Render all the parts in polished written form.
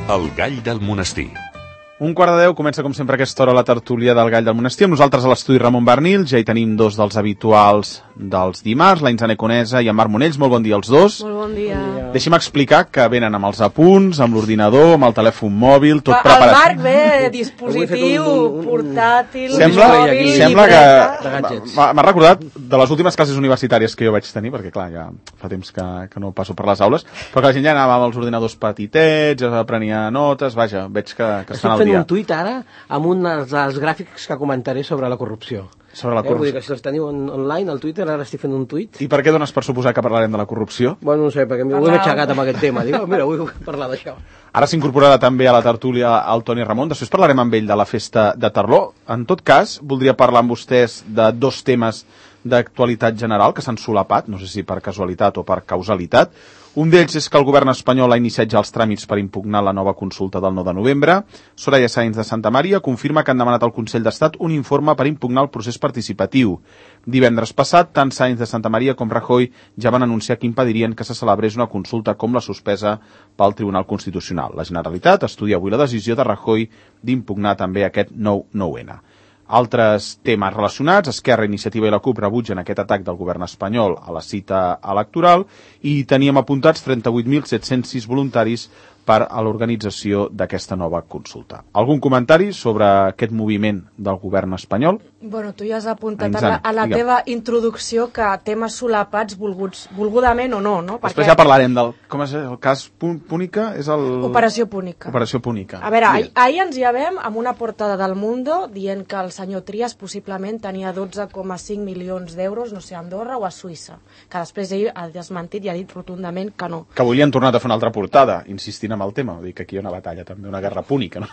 El gall del monestir. 11:45, comença com sempre a aquesta hora la tertúlia del Gall del Monestir. Amb nosaltres a l'estudi Ramon Bernil, ja hi tenim dos dels habituals dels dimarts, la Insane Conesa i en Marc Monells. Molt bon dia als dos. Molt bon dia. Deixi'm explicar que venen amb els apunts, amb l'ordinador, amb el telèfon mòbil, tot preparat. El Marc ve dispositiu, portàtil, Sembla que m'ha recordat de les últimes classes universitàries que jo vaig tenir, perquè clar, ja fa temps que no passo per les aules, però que la gent ja anava amb els ordinadors petitets, ja prenia notes, vaja, veig que estan al dia. Un tuit ara amb un dels gràfics que comentaré sobre la corrupció. Sobre la corrupció. Vull dir que si els teniu online al Twitter, ara estic fent un tuit. I per què dones per suposar que parlarem de la corrupció? Bueno, no sé, perquè m'ho he aixecat amb aquest tema. Dic, mira, vull parlar d'això. Ara s'incorporarà també a la tertúlia el Toni Ramon. Després parlarem amb ell de la festa de Tarló. En tot cas, voldria parlar amb vostès de dos temes d'actualitat general que s'han solapat, no sé si per casualitat o per causalitat. Un d'ells és que el govern espanyol ha iniciat ja els tràmits per impugnar la nova consulta del 9 de novembre. Soraya Sáenz de Santamaría confirma que han demanat al Consell d'Estat un informe per impugnar el procés participatiu. Divendres passat, tant Sáenz de Santamaría com Rajoy ja van anunciar que impedirien que se celebrés una consulta com la suspesa pel Tribunal Constitucional. La Generalitat estudia avui la decisió de Rajoy d'impugnar també aquest 9-9N. Altres temes relacionats, Esquerra, Iniciativa i la CUP rebutgen aquest atac del govern espanyol a la cita electoral i teníem apuntats 38.706 voluntaris per a l'organització d'aquesta nova consulta. Algun comentari sobre aquest moviment del govern espanyol? Bueno, tu ja has apuntat a la teva introducció que temes solapats volgudament o no, no? Després ja parlarem del... Com és el cas Púnica? És el... Operació Púnica. Operació Púnica. A veure, ahir ens hi vam amb una portada del Mundo dient que el senyor Trias possiblement tenia 12,5 milions d'euros, no sé, a Andorra o a Suïssa, que després ell ha desmentit i ha dit rotundament que no. Que avui li han tornat a fer una altra portada, insistint amb el tema, vull dir que aquí hi ha una batalla també, una guerra púnica, no?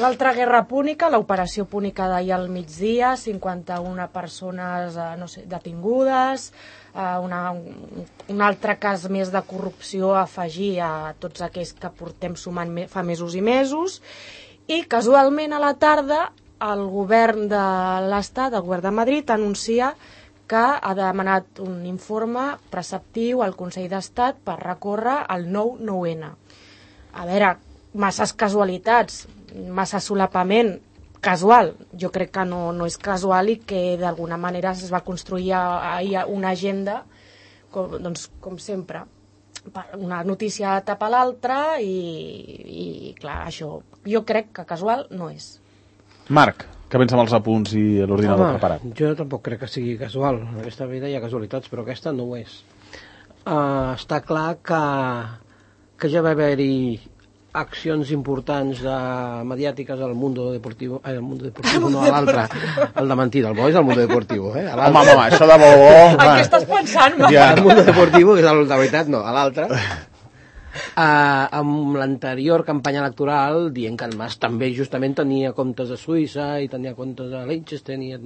L'altra guerra púnica, l'operació púnica d'ahir al migdia, 51 persones, no sé, detingudes, un altre cas més de corrupció a afegir a tots aquells que portem sumant fa mesos i mesos, i casualment a la tarda el govern de l'Estat, el govern de Madrid, anuncia que ha demanat un informe preceptiu al Consell d'Estat per recórrer al 9-9N. A veure, masses casualitats, massa solapament casual. Jo crec que no és casual i que d'alguna manera es va construir ahir una agenda, com sempre. Una notícia tapa l'altra i clar, això jo crec que casual no és. Marc, què pensa amb els apunts i l'ordinador preparat? Jo tampoc crec que sigui casual. En aquesta vida hi ha casualitats, però aquesta no ho és. Està clar que ja va haver-hi accions importants mediàtiques al Mundo Deportivo, no a l'altre, el de mentida, el bo és el Mundo Deportivo, Home, això de bo... En què estàs pensant, Marc? El Mundo Deportivo, que és el de veritat, no, a l'altre. Amb l'anterior campanya electoral dient que el Mas també justament tenia comptes a Suïssa i tenia comptes a Liechtenstein i a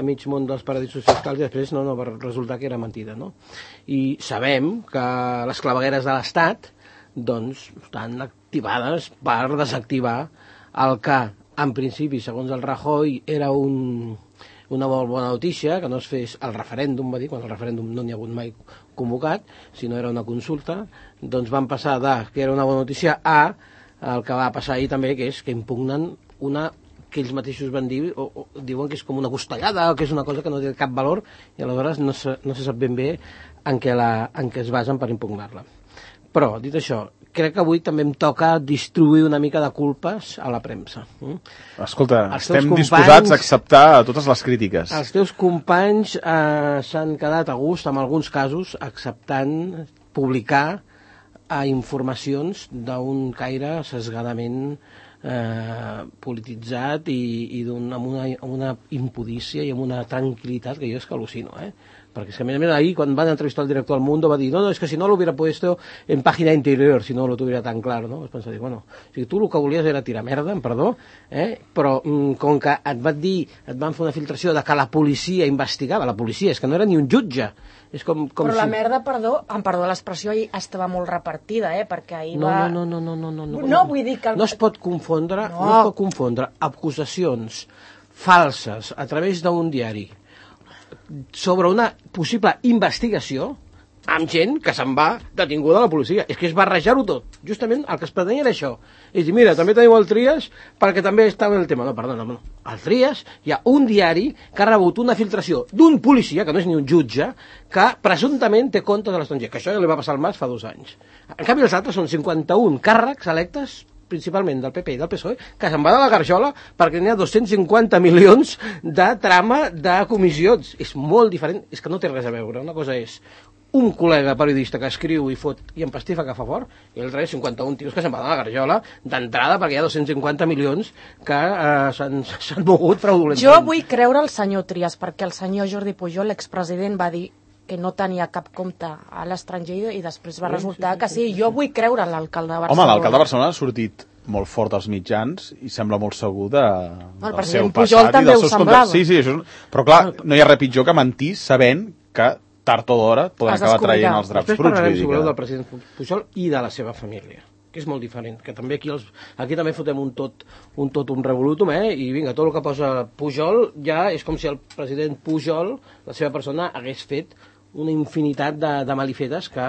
mig món dels paradisos fiscals, i després no va resultar que era mentida, no? I sabem que les clavegueres de l'Estat doncs estan activades per desactivar el que en principi, segons el Rajoy, era una molt bona notícia, que no es fes el referèndum, va dir, quan el referèndum no n'hi ha hagut mai convocat, sinó era una consulta, doncs van passar que era una bona notícia a el que va passar ahir també, que és que impugnen una que ells mateixos van dir, o diuen que és com una costellada, o que és una cosa que no té cap valor, i aleshores no se sap ben bé en què es basen per impugnar-la. Però, dit això, crec que avui també em toca distribuir una mica de culpes a la premsa. Escolta, estem disposats a acceptar totes les crítiques. Els teus companys s'han quedat a gust, en alguns casos, acceptant publicar informacions d'un caire sesgadament polititzat i amb una impudícia i amb una tranquil·litat que jo és que al·lucino, perquè a més ahir quan van entrevistar el director del Mundo va dir, no, es que si no lo hubiera puesto en página interior, si no lo tuviera tan claro, no? Vas pensar, bueno, o sigui, tu el que volies era tirar merda, amb perdó, però com que et van fer una filtració de que la policia investigava, la policia, és que no era ni un jutge, és com però si... la merda, amb perdó l'expressió, ahir estava molt repartida, perquè ahir no, va... No, vull dir que... No es pot confondre acusacions falses a través d'un diari sobre una possible investigació amb gent que se'n va detinguda a la policia. És que és barrejar-ho tot. Justament el que es pretenia era això. És dir, mira, també teniu el Trias perquè també estava en el tema. No, perdona, no. Al Trias hi ha un diari que ha rebut una filtració d'un policia, que no és ni un jutge, que presumptament té comptes a l'estranger, que això ja li va passar al Mas fa 2 anys. En canvi, els altres són 51 càrrecs electes principalment del PP i del PSOE, que se'n va de la garjola perquè n'hi ha 250 milions de trama de comissions. És molt diferent, és que no té res a veure. Una cosa és un col·lega periodista que escriu i fot i empastifa que fa fort, i l'altre és 51 tios que se'n van de la garjola d'entrada perquè hi ha 250 milions que s'han mogut fraudulentament. Jo vull creure el senyor Trias, perquè el senyor Jordi Pujol, l'expresident, va dir que no tenia cap compte a l'estranger i després va resultar que sí. Jo vull creure l'alcalde de Barcelona. Home, l'alcalde de Barcelona ha sortit molt fort als mitjans i sembla molt segur del seu Pujol passat també i dels ho seus semblava. Sí, això és... Però clar, no hi ha res pitjor que mentir sabent que tard o d'hora poden acabar traient els draps bruts. Després parlarem, si voleu, del president Pujol i de la seva família, que és molt diferent, que també aquí també fotem un revolutum, i vinga, tot el que posa Pujol ja és com si el president Pujol, la seva persona, hagués fet una infinitat de malifetes que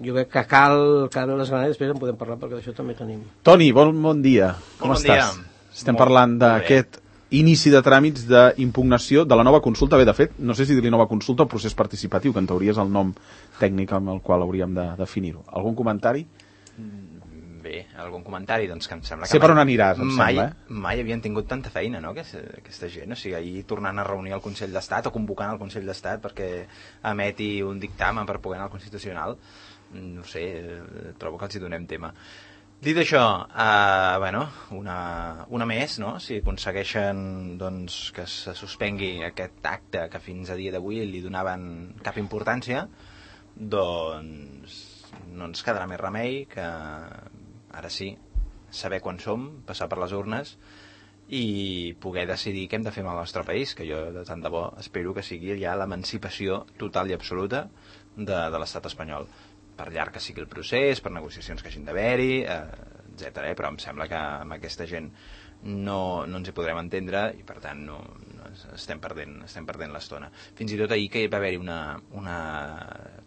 jo veig que cal les ganes, després en podem parlar perquè d'això també tenim. Toni, bon dia. Com estàs? Estem parlant d'aquest inici de tràmits d'impugnació de la nova consulta. Bé, de fet, no sé si dir-li nova consulta o procés participatiu, que en teoria és el nom tècnic amb el qual hauríem de definir-ho. Algun comentari? Bé, algun comentari, doncs que em sembla que... Sé per on aniràs, em sembla, Mai havien tingut tanta feina, no?, aquesta gent. O sigui, ahir tornant a reunir el Consell d'Estat o convocant el Consell d'Estat perquè emeti un dictamen per poder anar al Constitucional, no sé, trobo que els hi donem tema. Dit això, una més, no?, si aconsegueixen doncs, que se suspengui aquest acte que fins a dia d'avui li donaven cap importància, doncs no ens quedarà més remei que ara sí, saber quan som, passar per les urnes i poder decidir què hem de fer amb el nostre país, que jo de tant de bo espero que sigui ja l'emancipació total i absoluta de l'estat espanyol, per llarg que sigui el procés, per negociacions que hagin d'haver-hi, etc. Però em sembla que amb aquesta gent no ens hi podrem entendre i per tant no estem perdent l'estona. Fins i tot ahir que va haver-hi una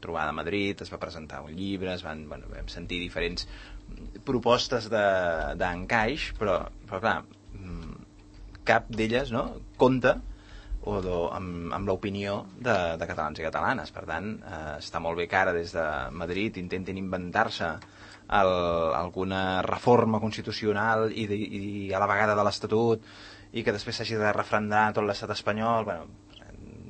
trobada a Madrid, es va presentar un llibre, vam sentir diferents propostes d'encaix, però clar, cap d'elles compta amb l'opinió de catalans i catalanes. Per tant, està molt bé que ara des de Madrid intentin inventar-se alguna reforma constitucional i a la vegada de l'Estatut i que després s'hagi de refrendar tot l'estat espanyol,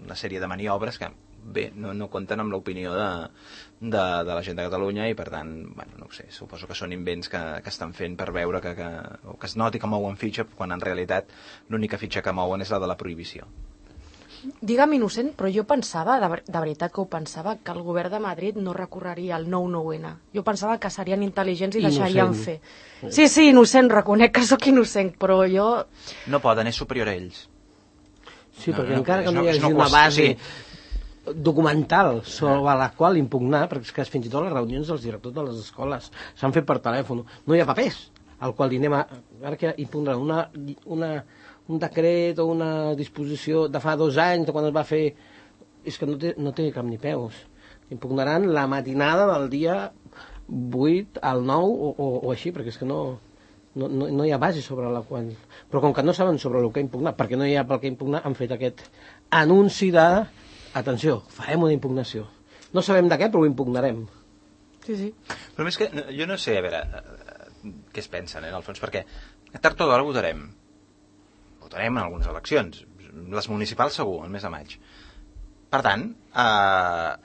una sèrie de maniobres que bé, no compten amb l'opinió de la gent de Catalunya i per tant, no ho sé, suposo que són invents que estan fent per veure que es noti que mouen fitxa quan en realitat l'única fitxa que mouen és la de la prohibició. Digue'm innocent, però jo pensava, de veritat que ho pensava, que el govern de Madrid no recorreria al 9-9-N. Jo pensava que serien intel·ligents i deixarien fer. Sí, innocent, reconec que sóc innocent, però jo... No poden, és superior a ells. Sí, perquè encara que no hi hagi una base documental sobre la qual impugnar, perquè és que fins i tot les reunions dels directors de les escoles s'han fet per telèfon, no hi ha papers al qual li anem a... Ara que impugnar un decret o una disposició de fa 2 anys, de quan es va fer, és que no té cap ni peus. Impugnaran la matinada del dia 8 al 9 o així, perquè és que no hi ha base sobre la qual... Però com que no saben sobre el que impugnar, perquè no hi ha pel que impugnar, han fet aquest anunci de atenció, farem una impugnació. No sabem de què, però ho impugnarem. Sí. Però més que, jo no sé, a veure, què es pensen, en el fons, perquè tard o d'hora votarem en algunes eleccions, les municipals segur, el mes de maig. Per tant,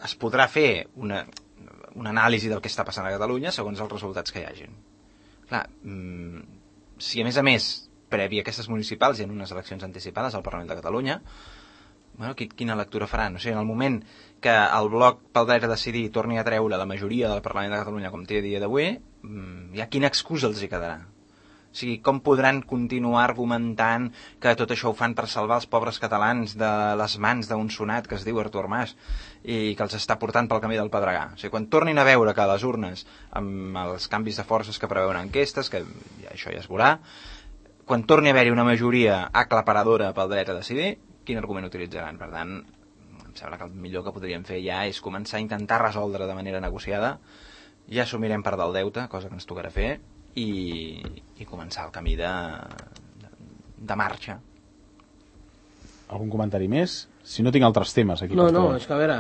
es podrà fer una anàlisi del que està passant a Catalunya segons els resultats que hi hagin. Clar, si a més, previ a aquestes municipals i en unes eleccions anticipades al Parlament de Catalunya, quina lectura faran? O sigui, en el moment que el bloc pel dret a decidir torni a treure la majoria del Parlament de Catalunya com té a dia d'avui, ja quina excusa els hi quedarà? O sigui, com podran continuar argumentant que tot això ho fan per salvar els pobres catalans de les mans d'un sonat que es diu Artur Mas i que els està portant pel camí del Pedregà? O sigui, quan tornin a veure que a les urnes, amb els canvis de forces que preveuen enquestes, que això ja es veurà, quan torni a haver-hi una majoria aclaparadora pel dret a decidir, quin argument utilitzaran? Per tant, em sembla que el millor que podríem fer ja és començar a intentar resoldre de manera negociada, ja assumirem part del deute, cosa que ens tocarà fer, i començar el camí de marxa. Algun comentari més? Si no tinc altres temes aquí. No, és que a veure,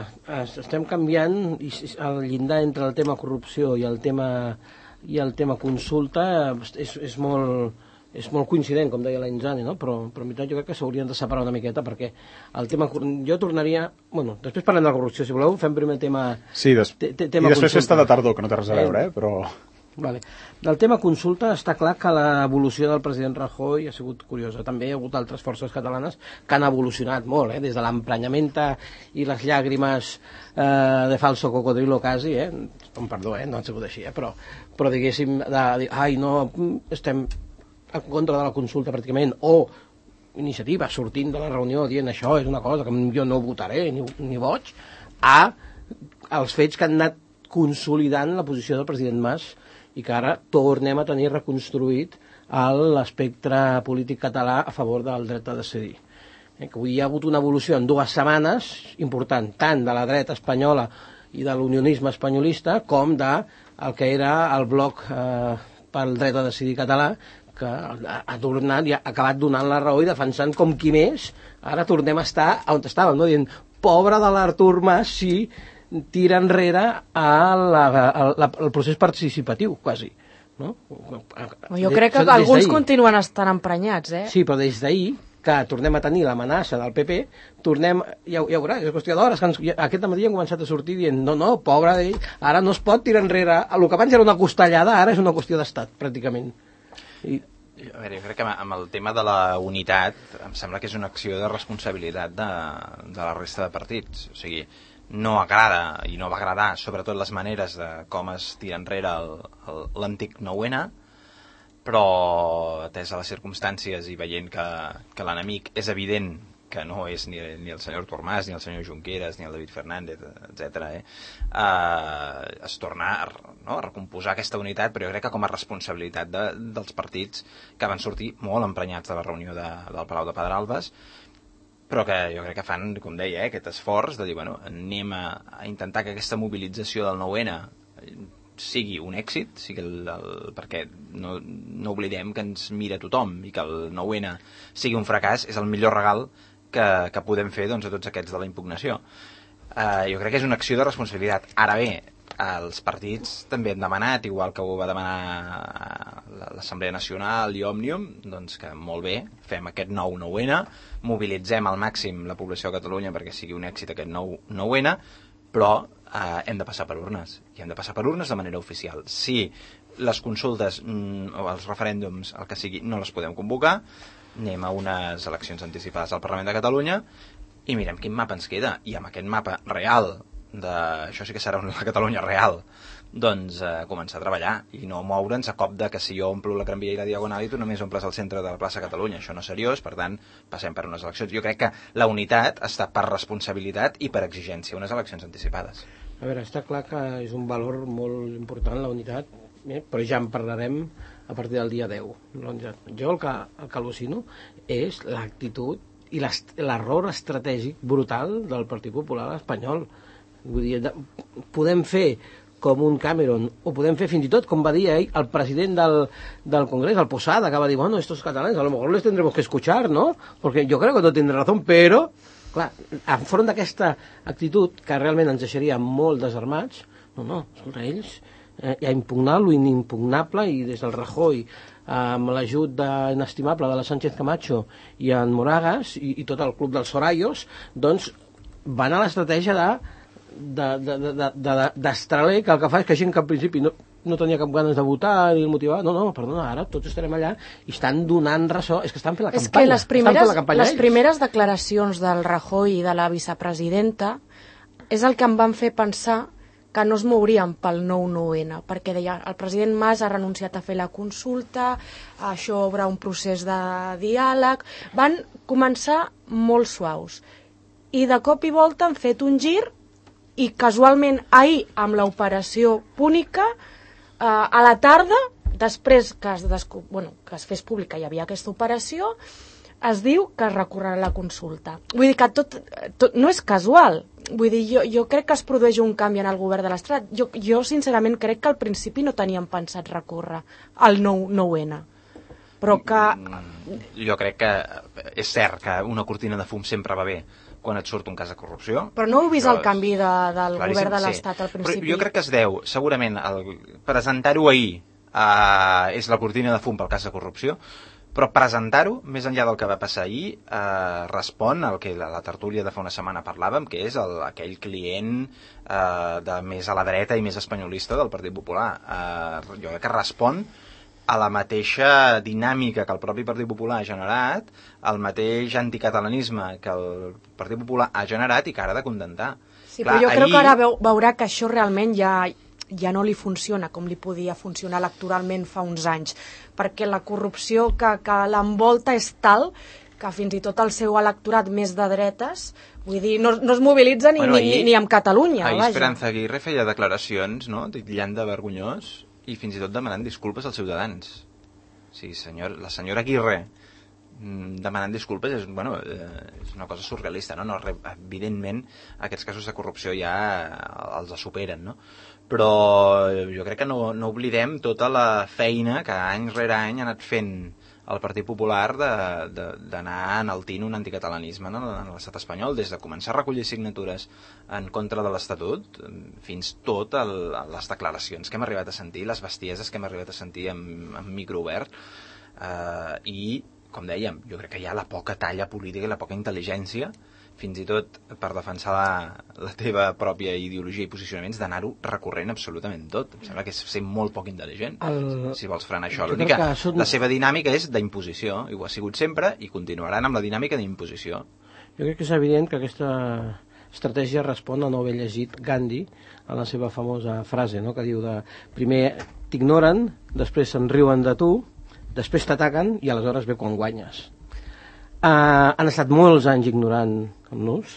estem canviant el llindar entre el tema corrupció i el tema consulta és molt coincident, com deia la Inzani, no? Però en veritat jo crec que s'haurien de separar una miqueta, perquè el tema... Jo tornaria... Bueno, després parlem de la corrupció, si voleu, fem primer tema... Sí, i després festa de tardor, que no té res a veure, però... Vale. Del tema consulta està clar que l'evolució del president Rajoy ha sigut curiosa. També hi ha hagut altres forces catalanes que han evolucionat molt, des de l'emprenyamenta i les llàgrimes de falso cocodrilo quasi, perdó, no ha sigut així, però diguéssim, de dir, ai, no, estem en contra de la consulta pràcticament, o iniciativa sortint de la reunió dient això és una cosa que jo no votaré ni boig, als fets que han anat consolidant la posició del president Mas i que ara tornem a tenir reconstruït l'espectre polític català a favor del dret a decidir. Que avui hi ha hagut una evolució en 2 setmanes important, tant de la dreta espanyola i de l'unionisme espanyolista com del que era el bloc pel dret a decidir català, que ha tornat i ha acabat donant la raó i defensant com qui més. Ara tornem a estar on estàvem, no? Dient, pobre de l'Artur Mas si tira enrere el procés participatiu, quasi. No? Jo crec que alguns continuen estant emprenyats, Sí, però des d'ahir, que tornem a tenir l'amenaça del PP, ja ho veurà, és qüestió d'hores, que aquest matí han començat a sortir dient, no, pobre d'ell, ara no es pot tirar enrere, el que abans era una costellada, ara és una qüestió d'estat, pràcticament. A veure, jo crec que amb el tema de la unitat em sembla que és una acció de responsabilitat de la resta de partits. O sigui, no agrada i no va agradar sobretot les maneres de com es tira enrere l'antic 9-N, però atès a les circumstàncies i veient que l'enemic és evident que no és ni el senyor Artur Mas, ni el senyor Junqueras, ni el David Fernández, etc. Es torna a recomposar aquesta unitat, però jo crec que com a responsabilitat dels partits que van sortir molt emprenyats de la reunió del Palau de Pedralbes, però que jo crec que fan, com deia, aquest esforç de dir, bueno, anem a intentar que aquesta mobilització del 9-N sigui un èxit, perquè no oblidem que ens mira tothom i que el 9-N sigui un fracàs és el millor regal que podem fer a tots aquests de la impugnació. Jo crec que és una acció de responsabilitat. Ara bé, els partits també han demanat, igual que ho va demanar l'Assemblea Nacional i Òmnium, doncs que molt bé, fem aquest nou 9-N, mobilitzem al màxim la població de Catalunya perquè sigui un èxit aquest nou 9-N, però hem de passar per urnes, i hem de passar per urnes de manera oficial. Si les consultes o els referèndums, el que sigui, no les podem convocar, anem a unes eleccions anticipades al Parlament de Catalunya i mirem quin mapa ens queda, i amb aquest mapa real això sí que serà una Catalunya real, doncs començar a treballar i no moure'ns a cop de que si jo omplo la Gran Via i la Diagonal i tu només omples el centre de la plaça Catalunya. Això no és seriós, per tant passem per unes eleccions. Jo crec que la unitat està per responsabilitat i per exigència, unes eleccions anticipades. A veure, està clar que és un valor molt important la unitat, però ja en parlarem a partir del dia 10. Jo el que al·lucino és l'actitud i l'error estratègic brutal del Partit Popular espanyol. Vull dir, podem fer com un Cameron, o podem fer fins i tot, com va dir el president del Congrés, el Posada, que va dir, bueno, estos catalanes a lo mejor les tendremos que escuchar, ¿no? Porque yo creo que no tindrà razón, però, clar, enfront d'aquesta actitud, que realment ens deixaria molt desarmats, escolta, ells a impugnar lo inimpugnable, i des del Rajoy, amb l'ajut inestimable de la Sánchez Camacho i en Moragas i tot el club dels Sorayos, doncs van a l'estratègia d'estraler, que el que fa és que gent que al principi no tenia cap ganes de votar ni el motivar, perdona, ara tots estarem allà i estan donant ressò, és que estan fent la campanya. És que les primeres declaracions del Rajoy i de la vicepresidenta és el que em van fer pensar que no es mourien pel nou 9-N, perquè deia, el president Mas ha renunciat a fer la consulta, això obre un procés de diàleg, van començar molt suaus i de cop i volta han fet un gir i casualment ahir amb l'operació Púnica a la tarda, després que es fes pública hi havia aquesta operació, es diu que es recorrerà la consulta. Vull dir que tot no és casual. Vull dir, jo crec que es produeix un canvi en el govern de l'Estat. Jo sincerament crec que al principi no teníem pensat recórrer al 9-N. Però que... Jo crec que és cert que una cortina de fum sempre va bé quan et surt un cas de corrupció. Però no heu vist el canvi del govern de l'Estat al principi? Però jo crec que es deu, segurament, presentar-ho ahir és la cortina de fum pel cas de corrupció, però presentar-ho, més enllà del que va passar ahir, respon al que la tertúlia de fa una setmana parlàvem, que és aquell client de més a la dreta i més espanyolista del Partit Popular. Jo crec que respon a la mateixa dinàmica que el propi Partit Popular ha generat, al mateix anticatalanisme que el Partit Popular ha generat i que ara ha de contentar. Sí, però jo crec que ara veurà que això realment ja no li funciona com li podia funcionar electoralment fa uns anys, perquè la corrupció que l'envolta és tal que fins i tot el seu electorat més de dretes, vull dir, no es mobilitza ni amb Catalunya. Ahir Esperanza Aguirre feia declaracions, no?, titllant de vergonyós i fins i tot demanant disculpes als ciutadans. Sí, la senyora Aguirre demanant disculpes és una cosa surrealista, no? Evidentment aquests casos de corrupció ja els superen, no? Però jo crec que no oblidem tota la feina que any rere any ha anat fent el Partit Popular d'anar enaltint un anticatalanisme en l'estat espanyol, des de començar a recollir signatures en contra de l'Estatut fins tot les declaracions que hem arribat a sentir, les bestieses que hem arribat a sentir en micro obert, i com dèiem, jo crec que hi ha la poca talla política i la poca intel·ligència, fins i tot per defensar la teva pròpia ideologia i posicionaments, d'anar-ho recorrent absolutament tot. Em sembla que és ser molt poc intel·ligent, si vols frenar això. La seva dinàmica és d'imposició, i ho ha sigut sempre, i continuaran amb la dinàmica d'imposició. Jo crec que és evident que aquesta estratègia respon a no haver llegit Gandhi a la seva famosa frase, no?, que diu primer t'ignoren, després se'n riuen de tu, després t'ataquen i aleshores ve quan guanyes. Han estat molts anys ignorant-nos,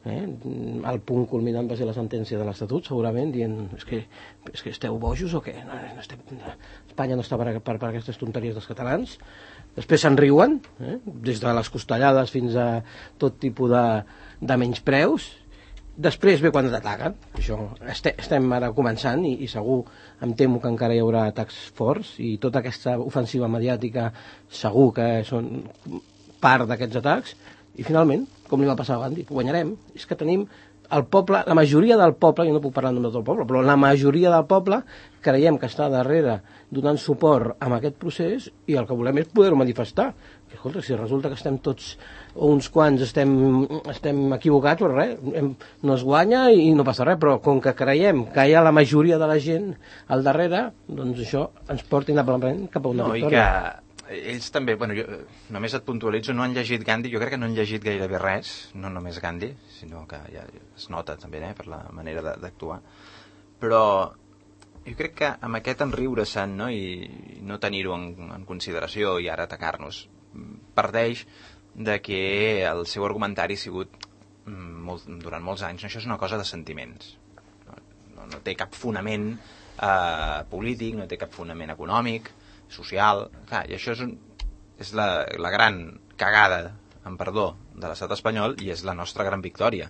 el punt culminant va ser la sentència de l'Estatut, segurament, dient és que esteu bojos o què? Espanya no està per aquestes tonteries dels catalans. Després se'n riuen, des de les costellades fins a tot tipus de menyspreus. Després ve quan t'ataquen. Això estem ara començant i segur, em temo que encara hi haurà atacs forts i tota aquesta ofensiva mediàtica segur que són part d'aquests atacs, i finalment, com li va passar a Gandhi, guanyarem. És que tenim el poble, la majoria del poble, jo no puc parlar en nom de tot el poble, però la majoria del poble creiem que està darrere donant suport a aquest procés i el que volem és poder-ho manifestar. Que, escolta, si resulta que estem tots, o uns quants estem equivocats, però res, no es guanya i no passa res, però com que creiem que hi ha la majoria de la gent al darrere, doncs això ens porta inapel·lablement cap a una victòria. I que ells també, jo només et puntualitzo, no han llegit Gandhi, jo crec que no han llegit gairebé res, no només Gandhi, sinó que ja es nota també per la manera d'actuar, però jo crec que amb aquest enriure-se'n, no, i no tenir-ho en consideració i ara atacar-nos, parteix de que el seu argumentari ha sigut durant molts anys, això és una cosa de sentiments, no té cap fonament polític, no té cap fonament econòmic, social, clar, i això és la gran cagada, amb perdó, de l'estat espanyol, i és la nostra gran victòria.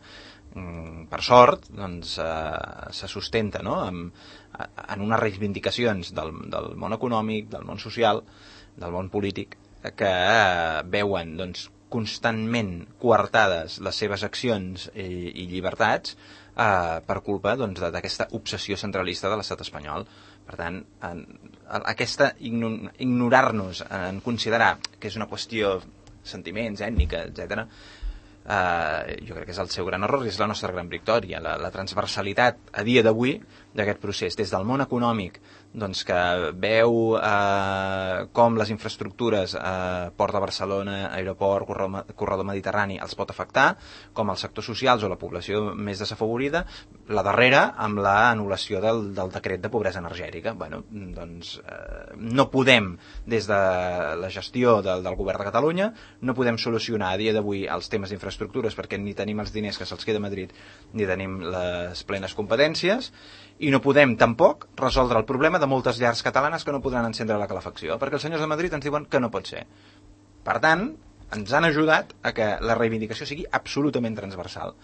Per sort, doncs, se sustenta, no?, en unes reivindicacions del món econòmic, del món social, del món polític, que veuen, doncs, constantment coartades les seves accions i llibertats per culpa, doncs, d'aquesta obsessió centralista de l'estat espanyol. Per tant, aquesta ignorar-nos en considerar que és una qüestió sentiments, ètnica, etc., jo crec que és el seu gran error i és la nostra gran victòria. La transversalitat a dia d'avui d'aquest procés, des del món econòmic, doncs, que veu com les infraestructures, Port de Barcelona, aeroport, corredor mediterrani, els pot afectar, com els sectors socials o la població més desafavorida, la darrera amb l'anul·lació del decret de pobresa energètica. Doncs no podem, des de la gestió del govern de Catalunya, no podem solucionar a dia d'avui els temes d'infraestructures perquè ni tenim els diners que se'ls queda a Madrid ni tenim les plenes competències, i no podem tampoc resoldre el problema de moltes llars catalanes que no podran encendre la calefacció, perquè els senyors de Madrid ens diuen que no pot ser. Per tant, ens han ajudat a que la reivindicació sigui absolutament transversal.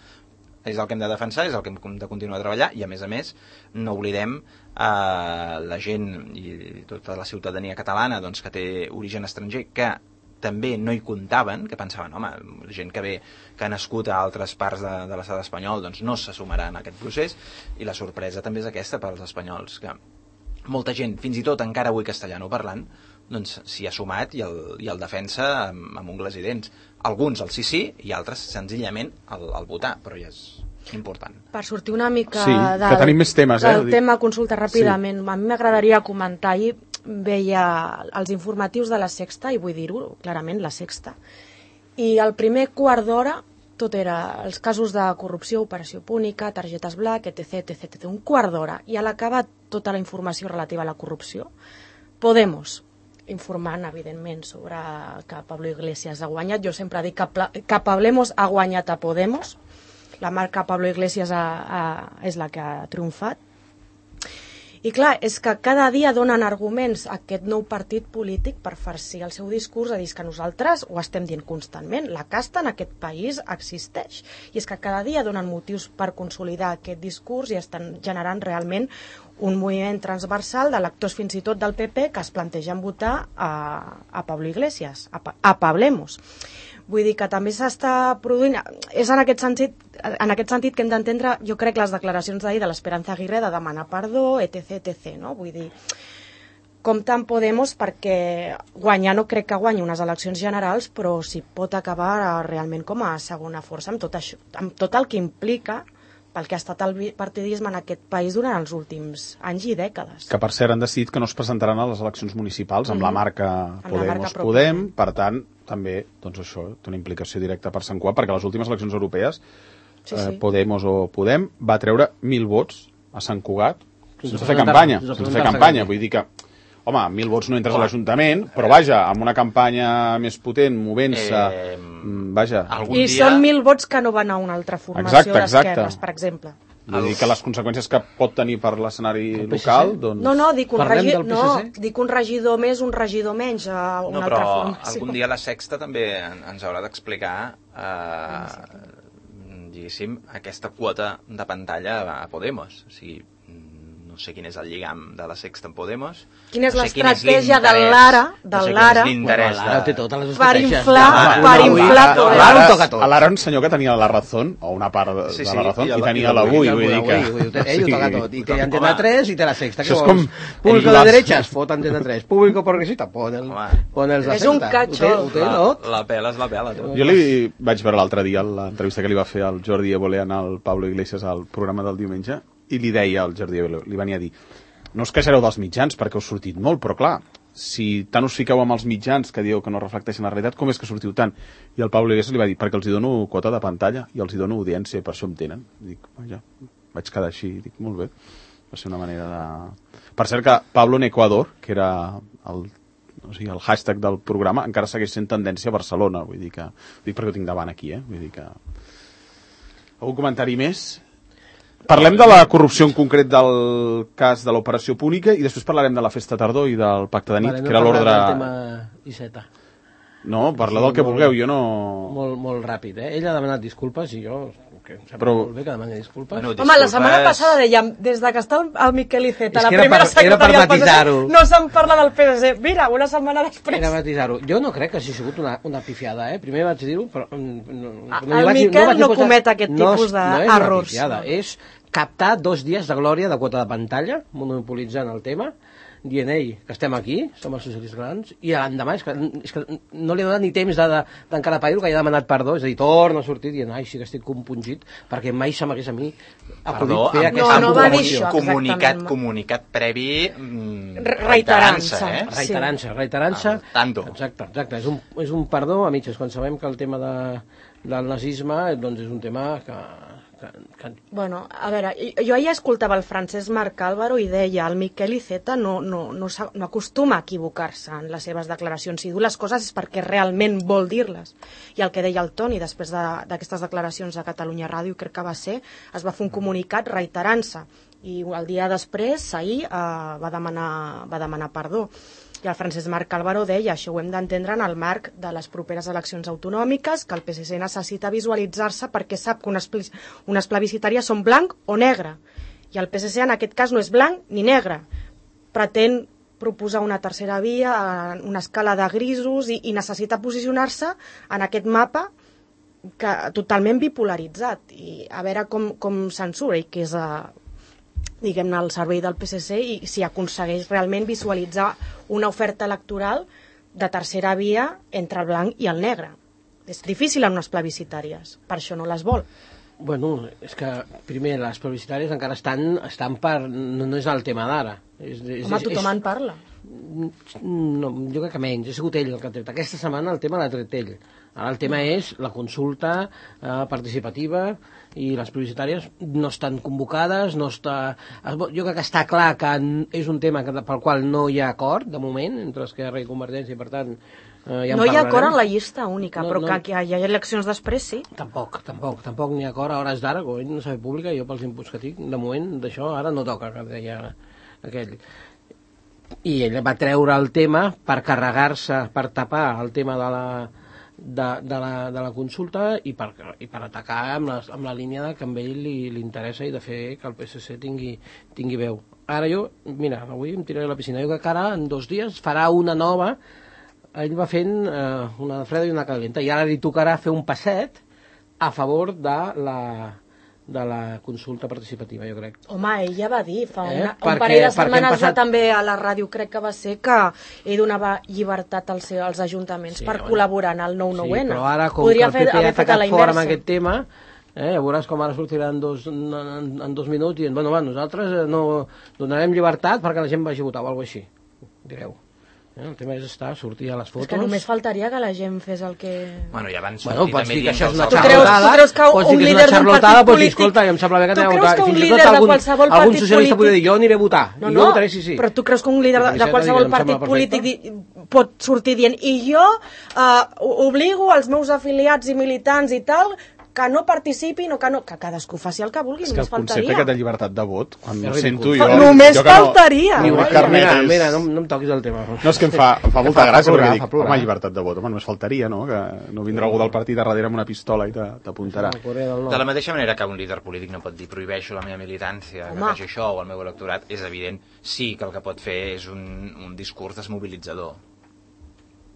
És el que hem de defensar, és el que hem de continuar a treballar, i a més, no oblidem la gent i tota la ciutadania catalana doncs, que té origen estranger, que també no hi comptaven, que pensaven, home, gent que ha nascut a altres parts de l'estat espanyol, doncs no se sumarà en aquest procés, i la sorpresa també és aquesta per als espanyols, que molta gent, fins i tot encara avui castellano parlant, doncs s'hi ha sumat i el defensa amb ungles i dents. Alguns el sí i altres senzillament el votar, però ja és important. Per sortir una mica que tenim més temes, del tema consulta ràpidament, a mi m'agradaria comentar, ahir veia els informatius de la Sexta, i vull dir-ho clarament, la Sexta, i el primer quart d'hora tot era els casos de corrupció, operació púnica, targetes black, etc. Un quart d'hora, i a l'acabar tota la informació relativa a la corrupció, Podemos, informant, evidentment, sobre que Pablo Iglesias ha guanyat. Jo sempre dic que Pablemos ha guanyat a Podemos. La marca Pablo Iglesias és la que ha triomfat. I clar, és que cada dia donen arguments a aquest nou partit polític per farcir el seu discurs, a dir que nosaltres ho estem dient constantment. La casta en aquest país existeix. I és que cada dia donen motius per consolidar aquest discurs i estan generant realment un moviment transversal d'electors fins i tot del PP que es plantegen votar a Pablo Iglesias, a Pablemos. Vull dir que també s'està produint... És en aquest sentit que hem d'entendre, jo crec, les declaracions d'ahir de l'Esperanza Aguirre de demanar perdó, etc. No? Vull dir, compte amb Podemos perquè guanyar no crec que guanyi unes eleccions generals, però si pot acabar realment com a segona força amb tot això, amb tot el que implica pel que ha estat el partidisme en aquest país durant els últims anys i dècades. Que per cert han decidit que no es presentaran a les eleccions municipals amb la marca Podem, per tant, també, doncs això, té una implicació directa per Sant Cugat, perquè a les últimes eleccions europees Podemos o Podem va treure 1.000 vots a Sant Cugat sense fer campanya, vull dir que home, 1.000 vots no entres a l'Ajuntament, però vaja, amb una campanya més potent, movent-se, vaja. I són 1.000 vots que no van a una altra formació d'esquerres, per exemple. Vull dir que les conseqüències que pot tenir per l'escenari local, doncs... No, dic un regidor més, un regidor menys a una altra formació. Però algun dia la Sexta també ens haurà d'explicar diguéssim, aquesta quota de pantalla a Podemos. O sigui, no sé quin és el lligam de la Sexta en Podemos. Quina és l'estratègia de l'Ara? Per inflar tot. A l'Ara un senyor que tenia la Razón, o una part de la Razón, i tenia l'Avui, vull dir que... Ell ho toca tot. I té Antena 3 i té la Sexta. Això és com... Público de derechas, fot Antena 3. Público progresista, pon els de Sexta. És un catxot. La pela és la pela. Jo li vaig veure l'altre dia l'entrevista que li va fer al Jordi Évole al Pablo Iglesias al programa del diumenge, i li deia al Jordi Évole, li venia a dir, no us queixareu dels mitjans perquè heu sortit molt, però clar, si tant us fiqueu amb els mitjans que dieu que no reflecteixen la realitat, com és que sortiu tant? I el Pablo Iglesias li va dir, perquè els hi dono quota de pantalla i els hi dono audiència, per això em tenen. Dic, vaja, vaig quedar així, dic, molt bé. Va ser una manera de... Per cert que Pablo en Ecuador, que era el hashtag del programa, encara segueix sent tendència a Barcelona, vull dir que... Dic perquè ho tinc davant aquí, vull dir que... Algun comentari més? Parlem de la corrupció en concret del cas de l'operació Púnica i després parlarem de la festa tardor i del pacte de nit, que era l'ordre... No, parla del que vulgueu, jo no... Molt ràpid, Ell ha demanat disculpes i jo... Molt bé que demani disculpes. Home, la setmana passada dèiem, des que està el Miquel Iceta, la primera secretària del PSC, no se'n parla del PSC. Mira, una setmana després... Era matisar-ho. Jo no crec que hagi sigut una pifiada, Primer vaig dir-ho, però... El Miquel no comet aquest tipus d'errors. No és una pifiada, és captar 2 dies de glòria de quota de pantalla, monopolitzant el tema, dient, que estem aquí, som els socialistes catalans, i l'endemà és que no li ha donat ni temps d'encarapar-ho, que ja ha demanat perdó, és a dir, torna a sortir dient, sí que estic compungit, perquè mai se m'hagués a mi acudit fer aquesta informació. Comunicat previ reiterant-se. Reiterant-se. Tanto. Exacte. És un perdó a mitges, quan sabem que el tema del nazisme doncs és un tema que... Bueno, a veure, jo ahir escoltava el Francesc Marc Álvaro i deia el Miquel Iceta no acostuma a equivocar-se en les seves declaracions. Si diu les coses és perquè realment vol dir-les. I el que deia el Toni després d'aquestes declaracions a Catalunya Ràdio, crec que va ser, es va fer un comunicat reiterant-se. I el dia després, ahir, va demanar perdó. I el Francesc Marc Álvaro deia, això ho hem d'entendre en el marc de les properes eleccions autonòmiques, que el PSC necessita visualitzar-se perquè sap que unes plebiscitàries són blanc o negre. I el PSC en aquest cas no és blanc ni negre. Pretén proposar una tercera via, una escala de grisos i necessita posicionar-se en aquest mapa totalment bipolaritzat i a veure com se'n surt i que és diguem-ne al servei del PSC i si aconsegueix realment visualitzar una oferta electoral de tercera via entre el blanc i el negre. És difícil en unes plebiscitàries, per això no les vol. Bueno, és que primer les plebiscitàries encara estan per... No és el tema d'ara. Home, tothom en parla. No, jo crec que menys, ha sigut ell el que ha tret. Aquesta setmana el tema l'ha tret ell. Ara el tema és la consulta participativa i les plebiscitàries no estan convocades, no està... Jo crec que està clar que és un tema pel qual no hi ha acord, de moment, entre Esquerra i Convergència, i per tant... Ja no hi ha acord en la llista única, però que hi ha eleccions després, sí. Tampoc n'hi ha acord a hores d'ara, com no s'ha fet pública, jo pels inputs que tinc, de moment d'això ara no toca, que deia aquell. I ell va treure el tema per carregar-se, per tapar el tema de la consulta i per atacar amb la línia que a ell li interessa i de fer que el PSC tingui veu. Ara mira, avui em tiraré a la piscina, jo que ara en 2 dies farà una nova. Ell va fent una de freda i una calenta i ara li tocarà fer un passet a favor de la consulta participativa, jo crec. Home, ell ja va dir fa un parell de setmanes també a la ràdio, crec que va ser que ell donava llibertat als ajuntaments per col·laborar en el 9-9N. Sí, però ara com que el PP ha atacat fort amb aquest tema, veuràs com ara sortirà en 2 minuts i bueno, nosaltres no donarem llibertat perquè la gent vagi a votar o alguna cosa així, direu. El tema és sortir a les fotos. És que només faltaria que la gent fes el que... Bueno, i abans sortir també dient que una xarlotada. Tu creus que un líder d'un partit polític... Escolta, em sembla bé que aneu a votar. Tu creus que un líder de qualsevol partit polític... Algun socialista podria dir, jo aniré a votar. No, jo votaré, sí. Però tu creus que un líder de qualsevol partit polític pot sortir dient i jo obligo els meus afiliats i militants i tal... que no participin o que cadascú faci el que vulgui, només faltaria. És que el concepte aquest de llibertat de vot, quan ho sento jo... Només faltaria! Mira, no em toquis el tema. No, és que em fa molta gràcia, perquè dic, home, llibertat de vot, home, només faltaria, no? Que no vindrà algú del partit a darrere amb una pistola i t'apuntarà. De la mateixa manera que un líder polític no pot dir prohibeixo la meva militància, que faci això, o el meu electorat, és evident, sí que el que pot fer és un discurs desmobilitzador.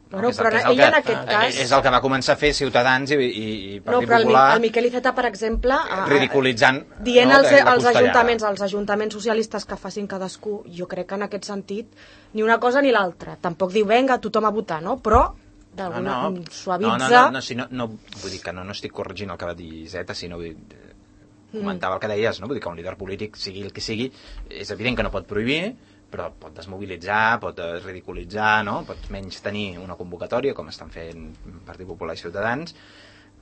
Bueno, però ell en aquest cas... És el que va començar a fer Ciutadans i Partit Popular... Però el Miquel Iceta, per exemple... ridiculitzant... Dient als ajuntaments socialistes que facin cadascú, jo crec que en aquest sentit, ni una cosa ni l'altra. Tampoc diu, venga, tothom a votar, no? Però, d'alguna suavitza... No, vull dir que no estic corregint el que va dir Iceta, sinó comentava el que deies, no? Vull dir que un líder polític, sigui el que sigui, és evident que no pot prohibir, però pot desmobilitzar, pot ridiculitzar, no? Pot menys tenir una convocatòria, com estan fent Partit Popular i Ciutadans,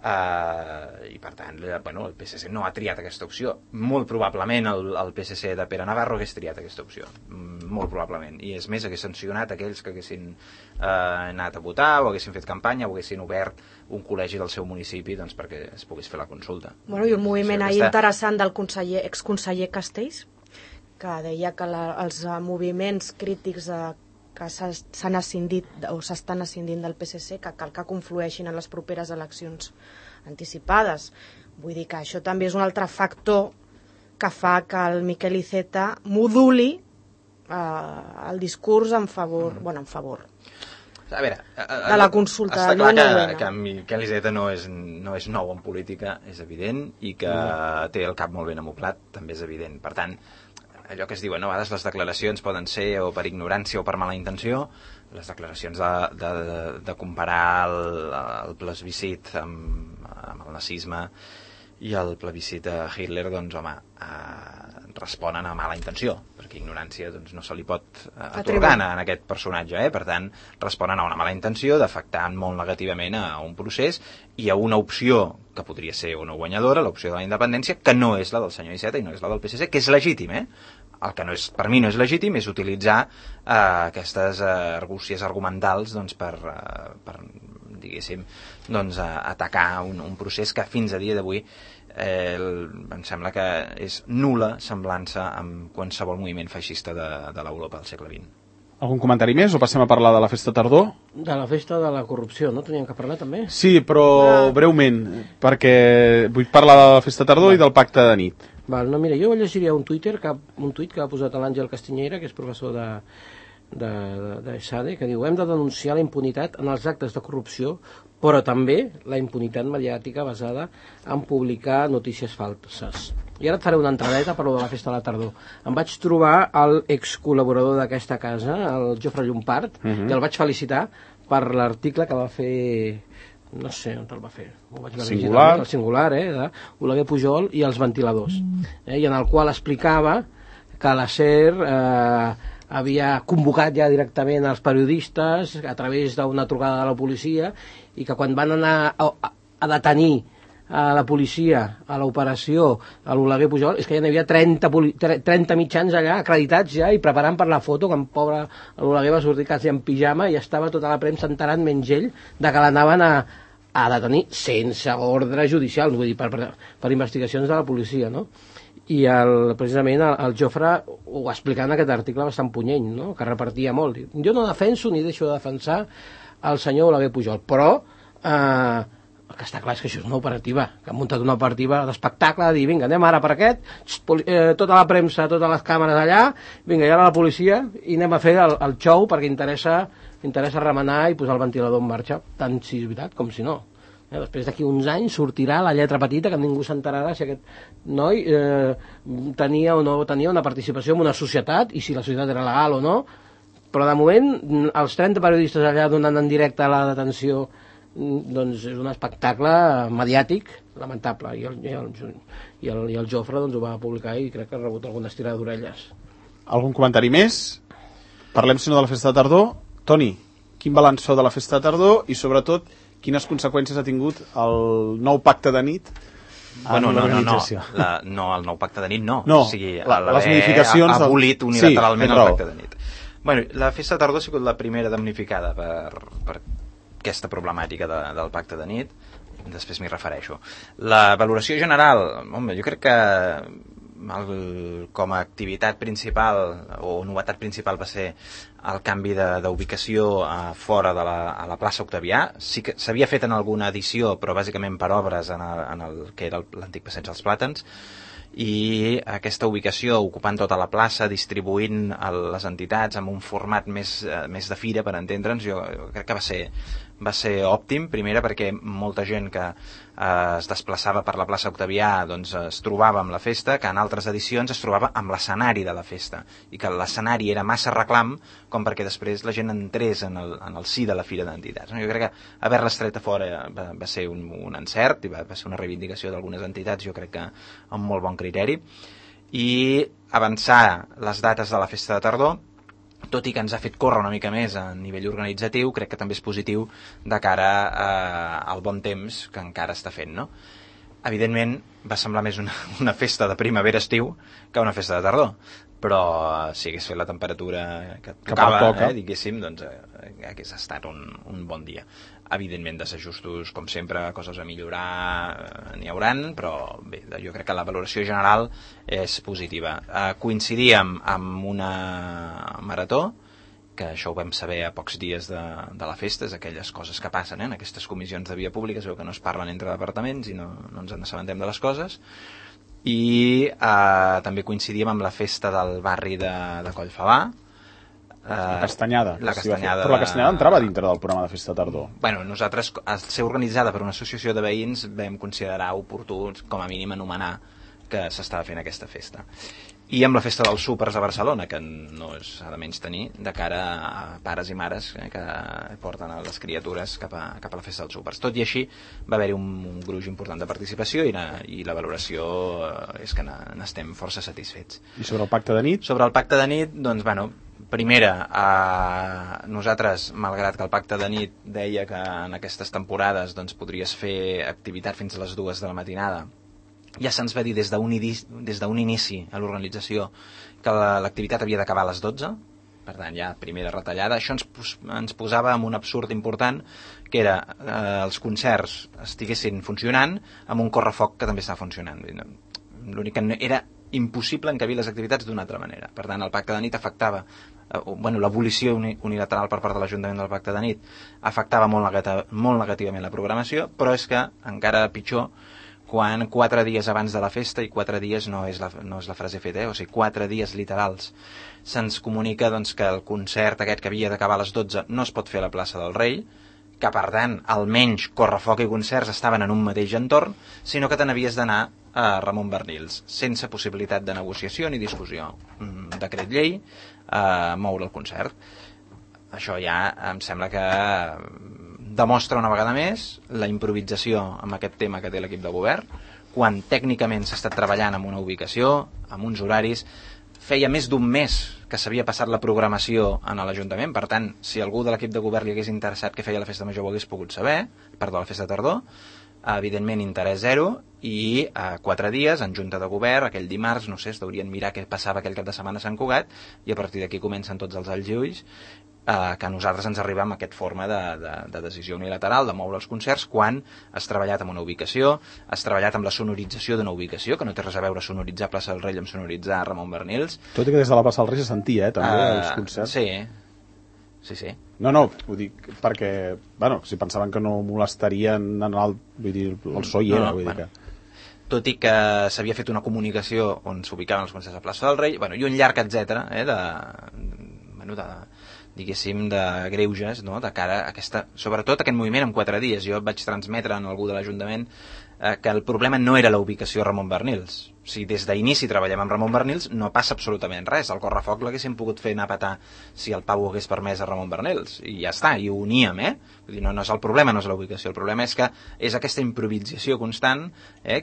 i per tant, bueno, el PSC no ha triat aquesta opció. Molt probablement el PSC de Pere Navarro hagués triat aquesta opció, molt probablement, i és més, hagués sancionat aquells que haguessin anat a votar o haguessin fet campanya o haguessin obert un col·legi del seu municipi doncs, perquè es pogués fer la consulta. Bueno, i un moviment interessant del exconseller Castells, que deia que els moviments crítics que s'han escindit o s'estan escindint del PSC, que cal que conflueixin en les properes eleccions anticipades. Vull dir que això també és un altre factor que fa que el Miquel Iceta moduli el discurs en favor, a veure, de la consulta. Està clar que Miquel Iceta no és nou en política, és evident, i que té el cap molt ben amoblat, també és evident. Per tant, allò que es diuen, a vegades les declaracions poden ser o per ignorància o per mala intenció, les declaracions de comparar el plebiscit amb el nazisme i el plebiscit de Hitler, doncs, home, responen a mala intenció, perquè ignorància doncs, no se li pot atorgar en aquest personatge, per tant, responen a una mala intenció d'afectar molt negativament a un procés i a una opció que podria ser una guanyadora, l'opció de la independència, que no és la del senyor Iceta i no és la del PSC, que és legítim, El que per mi no és legítim és utilitzar aquestes argúcies argumentals doncs, per diguéssim, doncs, atacar un procés que fins a dia d'avui em sembla que és nul·la semblança amb qualsevol moviment feixista de l'Europa del segle XX. Algun comentari més o passem a parlar de la festa tardor? De la festa de la corrupció, no? Teníem que parlar també? Sí, però breument, perquè vull parlar de la festa tardor i del pacte de nit. Val, no, mira, jo llegiria un tuit que ha posat l'Àngel Castiñeira, que és professor de SADE, que diu: hem de denunciar la impunitat en els actes de corrupció, però també la impunitat mediàtica basada en publicar notícies falses. I ara et faré una entradeta per lo de la festa de la tardor. Em vaig trobar l'ex-col·laborador d'aquesta casa, el Jofre Llompart, i el vaig felicitar per l'article que va fer, no sé on el va fer, Singular. El Singular, de Oleguer Pujol i els ventiladors, i en el qual explicava que la SER havia convocat ja directament els periodistes a través d'una trucada de la policia, i que quan van anar a detenir a la policia a l'operació a l'Oleguer Pujol, és que ja n'hi havia 30 mitjans allà acreditats ja i preparant per la foto, que en pobre l'Oleguer va sortir quasi en pijama i estava tota la premsa enterant menys ell de que l'anaven a detenir sense ordre judicial, vull dir, per investigacions de la policia, no? I precisament el Jofre ho explica en aquest article bastant punyent, no? Que repartia molt. Jo no defenso ni deixo de defensar el senyor Oleguer Pujol, però el que està clar és que això és una operativa, que han muntat una operativa d'espectacle, de dir, vinga, anem ara per aquest, tota la premsa, totes les càmeres allà, vinga, i ara la policia, i anem a fer el show perquè interessa remenar i posar el ventilador en marxa, tant si és veritat com si no. Després d'aquí uns anys sortirà la lletra petita que ningú s'enterarà si aquest noi tenia o no tenia una participació en una societat i si la societat era legal o no, però de moment els 30 periodistes allà donant en directe la detenció, doncs és un espectacle mediàtic lamentable, i el Jofre doncs ho va publicar i crec que ha rebut alguna estirada d'orelles. Algun comentari més? Parlem, si no, de la festa de tardor. Toni, quin balanç feu de la festa de tardor i sobretot quines conseqüències ha tingut el nou pacte de nit en l'organització? No, el nou pacte de nit no. O sigui, les modificacions ha abolit unilateralment el pacte de nit. Bueno, la festa de tardor ha sigut la primera damnificada per aquesta problemàtica del pacte de nit, després m'hi refereixo. La valoració general, home, jo crec que com a activitat principal o novetat principal va ser el canvi d'ubicació fora de la plaça Octavià. Sí que s'havia fet en alguna edició, però bàsicament per obres en el que era l'antic passeig dels Plàtans, i aquesta ubicació ocupant tota la plaça, distribuint les entitats amb un format més de fira, per entendre'ns, jo crec que va ser òptim, primera perquè molta gent que es desplaçava per la plaça Octavià doncs es trobava amb la festa, que en altres edicions es trobava amb l'escenari de la festa, i que l'escenari era massa reclam com perquè després la gent entrés en el si de la fira d'entitats. Jo crec que haver-les tret a fora va ser un encert i va ser una reivindicació d'algunes entitats, jo crec que amb molt bon criteri, i avançar les dates de la festa de tardor, tot i que ens ha fet córrer una mica més a nivell organitzatiu, crec que també és positiu de cara al bon temps que encara està fent, no? Evidentment, va semblar més una festa de primavera-estiu que una festa de tardor, però si hagués fet la temperatura que tocava, diguéssim, doncs hagués estat un bon dia. Evidentment, desajustos, com sempre, coses a millorar n'hi hauran, però bé, jo crec que la valoració general és positiva. Coincidíem amb una marató, que això ho vam saber a pocs dies de la festa, és aquelles coses que passen en aquestes comissions de via pública, es veu que no es parlen entre departaments i no ens n'assabentem de les coses, i també coincidíem amb la festa del barri de Collfabà, la Castanyada. Però la Castanyada entrava dintre del programa de festa de tardor. Bueno, nosaltres, al ser organitzada per una associació de veïns, vam considerar oportú, com a mínim, anomenar que s'estava fent aquesta festa. I amb la festa dels súpers a Barcelona, que no s'ha de menys tenir, de cara a pares i mares que porten a les criatures cap a la festa dels súpers. Tot i així, va haver-hi un gruix important de participació i la valoració és que n'estem força satisfets. I sobre el pacte de nit? Sobre el pacte de nit, doncs, bueno, primera, nosaltres, malgrat que el pacte de nit deia que en aquestes temporades doncs, podries fer activitat fins a les 2 de la matinada, ja se'ns va dir des d'un inici a l'organització que l'activitat havia d'acabar a les 12, per tant ja primera retallada. Això ens posava en un absurd important, que era els concerts estiguessin funcionant amb un correfoc que també estava funcionant. L'únic que era impossible encabir les activitats d'una altra manera. Per tant, el pacte de nit afectava l'abolició unilateral per part de l'Ajuntament del Pacte de Nit afectava molt negativament la programació, però és que encara pitjor quan 4 dies abans de la festa, i 4 dies no és la frase feta, o sigui, 4 dies literals, se'ns comunica doncs, que el concert aquest que havia d'acabar a les 12 no es pot fer a la plaça del Rei, que per tant almenys Correfoc i concerts estaven en un mateix entorn, sinó que te n'havies d'anar a Ramon Bernils, sense possibilitat de negociació ni discussió. Decret llei, moure el concert. Això ja em sembla que demostra una vegada més la improvisació amb aquest tema que té l'equip de govern, quan tècnicament s'ha estat treballant amb una ubicació, amb uns horaris. Feia més d'un mes que s'havia passat la programació en l'Ajuntament, per tant, si algú de l'equip de govern li hagués interessat que feia la festa major ho hagués pogut saber, la festa de tardor, evidentment interès zero, i 4 dies en junta de govern, aquell dimarts, no sé, es deurien mirar què passava aquell cap de setmana a Sant Cugat, i a partir d'aquí comencen tots els alls i ulls, que a nosaltres ens arriba amb aquesta forma de decisió unilateral, de moure els concerts, quan has treballat amb una ubicació, has treballat amb la sonorització d'una ubicació, que no té res a veure sonoritzar Plaça del Rei amb sonoritzar Ramon Bernils. Tot i que des de la Plaça del Rei se sentia, també, els concerts. Sí. No, ho dic perquè, si pensaven que no molestarien el so hi era, vull dir que... Tot i que s'havia fet una comunicació on s'ubicaven els concerts a Plaça del Rei, i un llarg etcètera, diguéssim, de greuges, no? De cara a sobretot aquest moviment en 4 dies. Jo vaig transmetre a algú de l'Ajuntament que el problema no era la ubicació a Ramon Bernils. O sigui, des d'inici treballem amb Ramon Bernils, no passa absolutament res. El Correfoc l'haguéssim pogut fer anar a petar si el Pau ho hagués permès a Ramon Bernils, i ja està, i ho uníem, Vull dir, no és el problema, no és la ubicació, el problema és que és aquesta improvisació constant,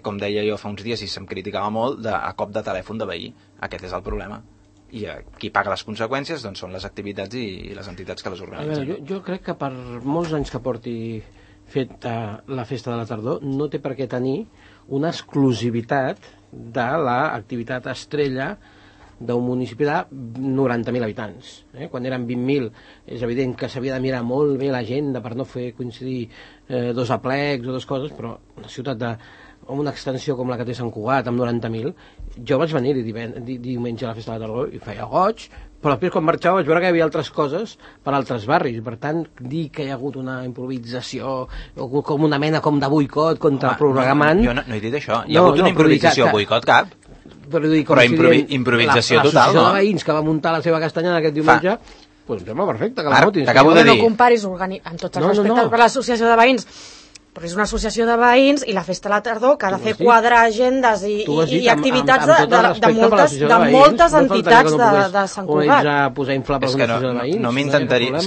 com deia jo fa uns dies i se'm criticava molt, a cop de telèfon de veí. Aquest és el problema. I qui paga les conseqüències doncs, són les activitats i les entitats que les organitzen. Jo crec que per molts anys que porti fet la festa de la tardor no té per què tenir una exclusivitat de l'activitat estrella d'un municipi de 90.000 habitants. Quan eren 20.000 és evident que s'havia de mirar molt bé l'agenda per no fer coincidir 2 aplecs o 2 coses, però una ciutat amb una extensió com la que té Sant Cugat, amb 90.000, jo vaig venir diumenge a la festa de la tardor i feia goig, però després quan marxava vaig veure que hi havia altres coses per altres barris, per tant dir que hi ha hagut una improvisació o com una mena com de boicot contra el programant... Jo no he dit això, hi ha hagut una improvisació, boicot cap, però improvisació total, no? L'associació de veïns que va muntar la seva castanyada aquest diumenge, doncs em sembla perfecte que la votin. T'acabo de dir... No comparis amb tots els respectes per l'associació de veïns, però és una associació de veïns i la festa de la tardor que ha de fer quadrar agendes i activitats de moltes entitats de Sant Cugat. És que no m'intentaria...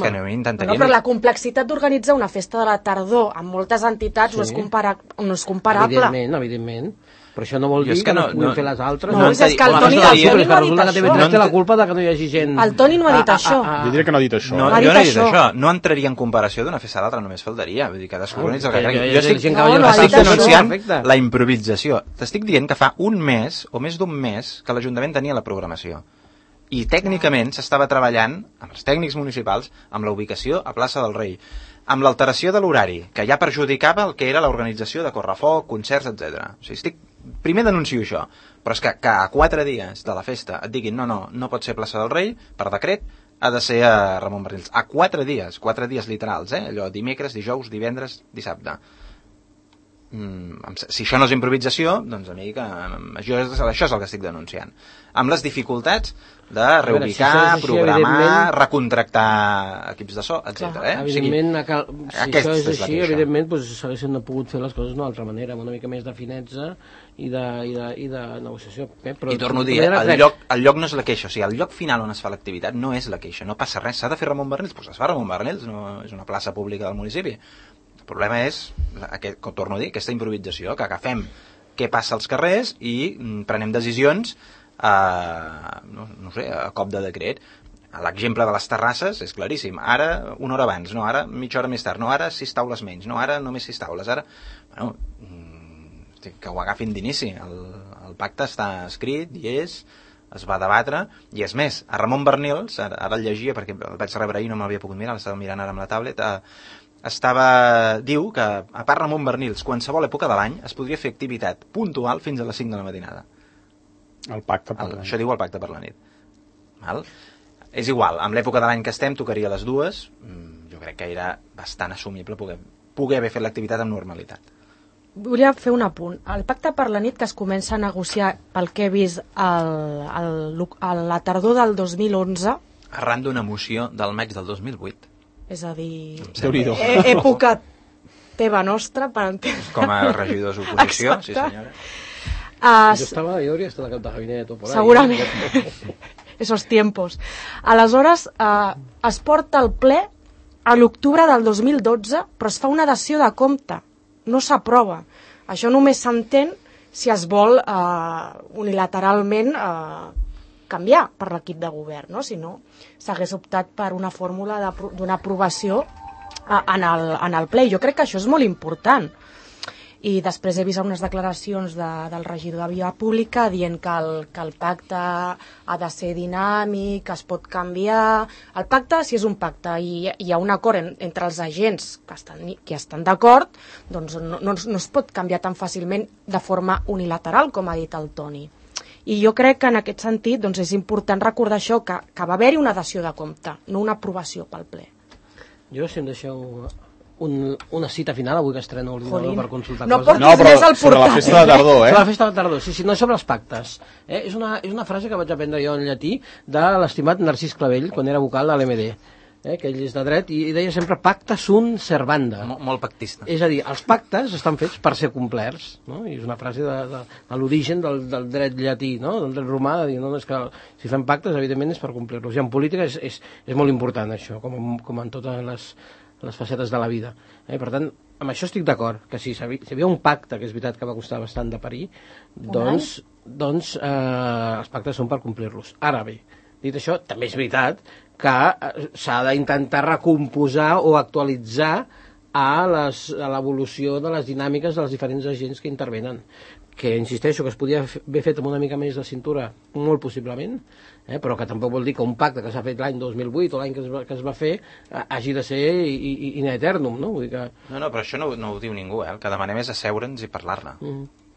Però la complexitat d'organitzar una festa de la tardor amb moltes entitats no és comparable. Evidentment. Però això no vol dir que no puguin fer les altres. No, és que el Toni no ha dit això. TV3 té la culpa de que no hi hagi gent... El Toni no ha dit això. Jo diria que no ha dit això. Jo no he dit això. No entraria en comparació d'una festa a l'altra, només faltaria. Vull dir, cadascú organitza el que crec. Jo estic denunciant la improvisació. T'estic dient que fa un mes, o més d'un mes, que l'Ajuntament tenia la programació. I tècnicament s'estava treballant amb els tècnics municipals amb la ubicació a Plaça del Rei, amb l'alteració de l'horari, que ja perjudicava el que era l'organització de Correfoc, concerts, etc. O sigui, primer denuncio això, però és que a 4 dies de la festa et diguin no pot ser Plaça del Rei, per decret, ha de ser a Ramon Bernils. A 4 dies literals, allò dimecres, dijous, divendres, dissabte. Si això no és improvisació, doncs a mi que això és el que estic denunciant. Amb les dificultats de reubicar, programar, recontractar equips de so, etc. Evidentment, si això és així, evidentment s'haguessin pogut fer les coses d'una altra manera, amb una mica més de finezza i de negociació. I torno a dir, el lloc no és la queixa, o sigui, el lloc final on es fa l'activitat no és la queixa, no passa res, s'ha de fer Ramon Bernils, doncs es fa Ramon Bernils, no és una plaça pública del municipi. El problema és, com torno a dir, aquesta improvisació, que agafem què passa als carrers i prenem decisions no sé, a cop de decret. L'exemple de les terrasses és claríssim. Ara, una hora abans, no, ara mitja hora més tard, no, ara 6 taules menys, no, ara només 6 taules, ara... Bueno, que ho agafin d'inici. El pacte està escrit i es va debatre, i és més, a Ramon Bernils, ara el llegia perquè el vaig rebre ahir, no m'havia pogut mirar, l'estava mirant ara amb la tablet, diu que, a part Ramon Bernils, qualsevol època de l'any es podria fer activitat puntual fins a les 5 de la matinada. El pacte per la nit. Això diu el pacte per la nit. Val? És igual, amb l'època de l'any que estem tocaria les dues. Jo crec que era bastant assumible poder haver fet l'activitat amb normalitat. Volia fer un apunt. El pacte per la nit que es comença a negociar, pel que he vist a la tardor del 2011, Arran d'una moció del maig del 2008. és a dir, Déu-n'hi-do. època teva nostra, per entendre. Com a regidors d'oposició, sí senyora. Jo hauria estat al cap de gabinet o por ahí. Segurament. Esos tiempos. Aleshores, es porta al ple a l'octubre del 2012, però es fa una dació de compte. No s'aprova. Això només s'entén si es vol unilateralment canviar per l'equip de govern, no? Si no, s'hagués optat per una fórmula d'una aprovació en el ple. Jo crec que això és molt important. I després he vist unes declaracions del regidor de Via Pública dient que el pacte ha de ser dinàmic, que es pot canviar. El pacte, si és un pacte i hi ha un acord entre els agents que estan d'acord, doncs no es pot canviar tan fàcilment de forma unilateral, com ha dit el Toni. I jo crec que en aquest sentit doncs és important recordar això, que va haver-hi una dació de compte, no una aprovació pel ple. Jo, si em deixeu una cita final, avui que estreno l'ordinador per consultar no coses. No, però sobre la festa de tardor, Sobre la festa de tardor, sí, no sobre els pactes. És una frase que vaig aprendre jo en llatí de l'estimat Narcís Clavell, quan era vocal de l'MD, que ell és de dret, i deia sempre pacta sunt servanda. Molt pactista. És a dir, els pactes estan fets per ser complerts, no? I és una frase de l'origen del dret llatí, no? Del dret romà, de dir, no, és que si fem pactes, evidentment, és per complir-los. I en política és molt important, això, com en totes les facetes de la vida. Per tant, amb això estic d'acord, que si hi havia un pacte, que és veritat que va costar bastant de parir, doncs els pactes són per complir-los. Ara bé, dit això, també és veritat que s'ha d'intentar recomposar o actualitzar a l'evolució de les dinàmiques dels diferents agents que intervenen, que insisteixo que es podia haver fet amb una mica més de cintura, molt possiblement, però que tampoc vol dir que un pacte que s'ha fet l'any 2008 o l'any que es va fer hagi de ser in eternum, no? Vull dir que... No, però això no ho diu ningú, el que demanem és asseure'ns i parlar-ne.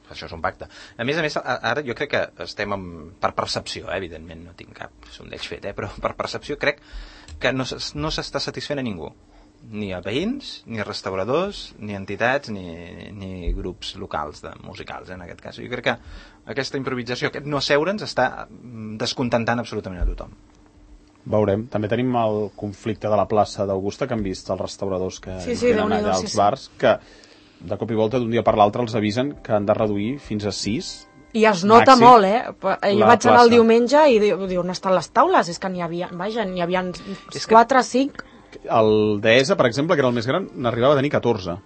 Això és un pacte. A més, ara jo crec que estem per percepció, evidentment, no tinc cap sondeig fet, però per percepció crec que no s'està satisfent a ningú. Ni a veïns, ni a restauradors, ni entitats, ni grups locals musicals, en aquest cas. Jo crec que aquesta improvisació, aquest no asseure'ns, està descontentant absolutament a tothom. Veurem. També tenim el conflicte de la plaça d'Augusta, que han vist els restauradors que tenen allà als bars, que de cop i volta d'un dia per l'altre els avisen que han de reduir fins a 6. I es nota molt, Jo vaig anar el diumenge i diu, on estan les taules? És que n'hi havia 4 o 5. El Deesa, per exemple, que era el més gran, n'arribava a tenir 14.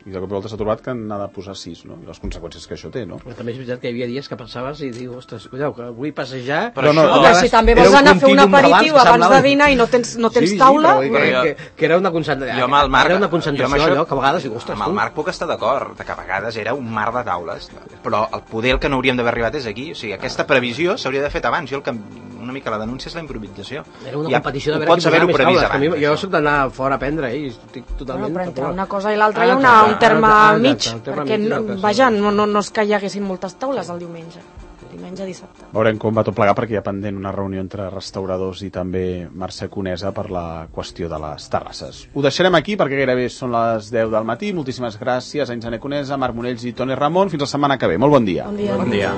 I de cop i volta s'ha trobat que n'ha de posar 6, no? I les conseqüències que això té, no? Però també és veritat que hi havia dies que pensaves i dius, ostres, cuidao, que vull passejar... Però si també vols anar a fer un aperitiu abans de dinar i no tens taula... Que era una concentració. Jo amb el Marc, era una concentració, allò, que a vegades dius, ostres... Amb el Marc puc estar d'acord, que a vegades era un mar de taules, però el poder que no hauríem d'haver arribat és aquí. O sigui, aquesta previsió s'hauria de fet abans. Jo una mica la denúncia és la improvisació. Era una competició de veure qui posava més taules. Jo soc d'anar fora a prendre, i estic totalment... Però entre una cosa i l'altra hi ha un terme mig, perquè no és que hi haguessin moltes taules el diumenge dissabte. Veurem com va tot plegar, perquè hi ha pendent una reunió entre restauradors i també Mercè Conesa per la qüestió de les terrasses. Ho deixarem aquí perquè gairebé són les 10 del matí. Moltíssimes gràcies a Insane Conesa, Marc Monells i Toni Ramon. Fins la setmana que ve. Molt bon dia. Bon dia.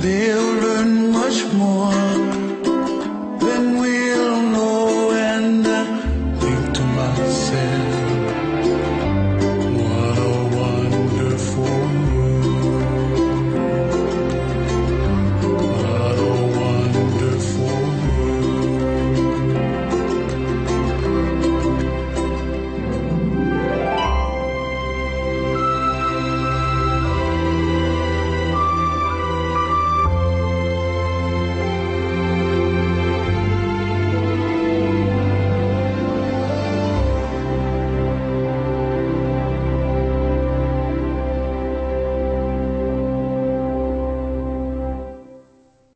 They'll learn much more